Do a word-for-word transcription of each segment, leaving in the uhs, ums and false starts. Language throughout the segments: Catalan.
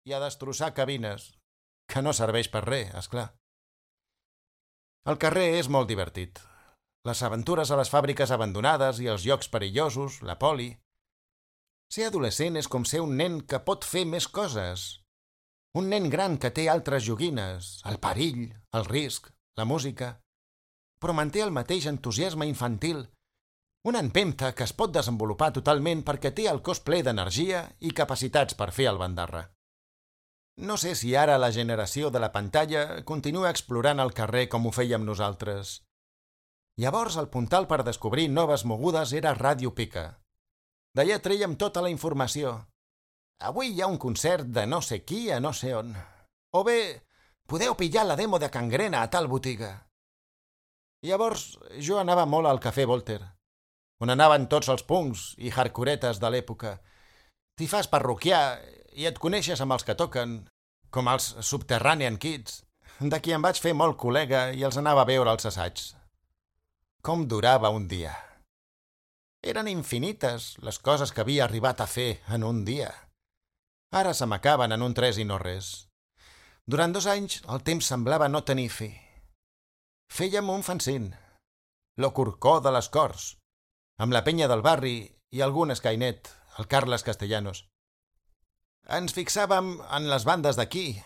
i a destrossar cabines, que no serveix per res, esclar. El carrer és molt divertit. Les aventures a les fàbriques abandonades i els llocs perillosos, la poli. Ser adolescent és com ser un nen que pot fer més coses. Un nen gran que té altres joguines, el perill, el risc, la música, però manté el mateix entusiasme infantil, una empenta que es pot desenvolupar totalment perquè té el cos ple d'energia i capacitats per fer el bandarra. No sé si ara la generació de la pantalla continua explorant el carrer com ho fèiem nosaltres. Llavors el puntal per descobrir noves mogudes era Ràdio Pica. D'allà trèiem tota la informació. Avui hi ha un concert de no sé qui a no sé on. O bé, podeu pillar la demo de Cangrena a tal botiga. Llavors jo anava molt al Cafè Volter, on anaven tots els punks i hardcoretes de l'època. T'hi fas parroquià i et coneixes amb els que toquen, com els Subterranean Kids, de qui em vaig fer molt col·lega i els anava a veure als assaigs. Com durava un dia. Eren infinites les coses que havia arribat a fer en un dia. Ara se m'acaben en un tres i no res. Durant dos anys el temps semblava no tenir fi. Fèiem un fanzín, Lo Corcó de les Corts, amb la penya del barri i algun escainet, el Carles Castellanos. Ens fixàvem en les bandes d'aquí,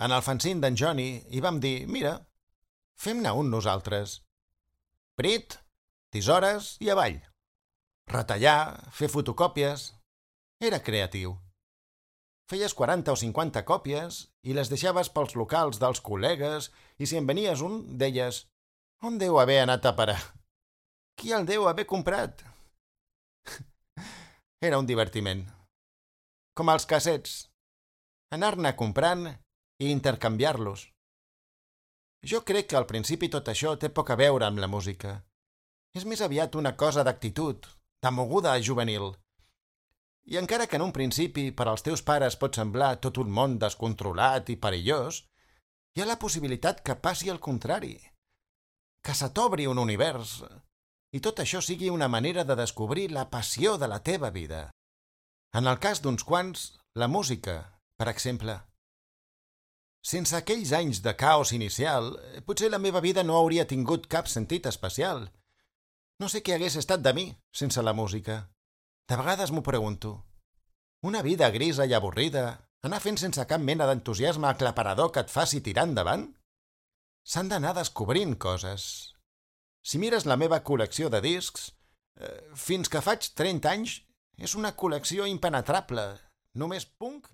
en el fanzín d'en Johnny, i vam dir, mira, fem-ne un nosaltres. Prit, tisores i avall. Retallar, fer fotocòpies. Era creatiu. Feies quaranta o cinquanta còpies i les deixaves pels locals dels col·legues i si en venies un, deies «On deu haver anat a parar? Qui el deu haver comprat?» Era un divertiment. Com els cassets. Anar-ne comprant i intercanviar-los. Jo crec que al principi tot això té poc a veure amb la música. És més aviat una cosa d'actitud, de moguda juvenil. I encara que en un principi per als teus pares pot semblar tot un món descontrolat i perillós, hi ha la possibilitat que passi el contrari, que se t'obri un univers, i tot això sigui una manera de descobrir la passió de la teva vida. En el cas d'uns quants, la música, per exemple. Sense aquells anys de caos inicial, potser la meva vida no hauria tingut cap sentit especial. No sé què hagués estat de mi sense la música. De vegades m'ho pregunto. Una vida grisa i avorrida, anar fent sense cap mena d'entusiasme aclaparador que et faci tirar endavant? S'han d'anar descobrint coses. Si mires la meva col·lecció de discs, eh, fins que faig trenta anys, és una col·lecció impenetrable. Només punk